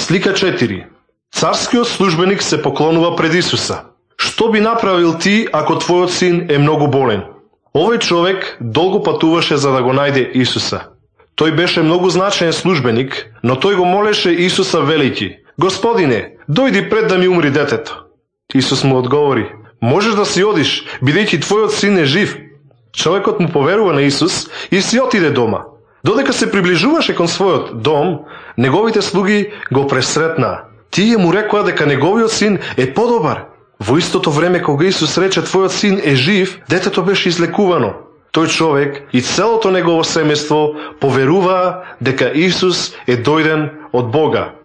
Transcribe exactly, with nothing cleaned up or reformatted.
Слика четири. Царскиот службеник се поклонува пред Исуса. Што би направил ти ако твојот син е многу болен? Овој човек долго патуваше за да го најде Исуса. Тој беше многу значаен службеник, но тој го молеше Исуса велики: Господине, дојди пред да ми умри детето. Исус му одговори: можеш да си одиш, бидејќи твојот син е жив. Човекот му поверува на Исус и си отиде дома. Додека се приближуваше кон својот дом, неговите слуги го пресретнаа. Тие му рекоа дека неговиот син е подобар. Во истото време кога Исус рече твојот син е жив, детето беше излекувано. Тој човек и целото негово семејство поверуваа дека Исус е дојден од Бога.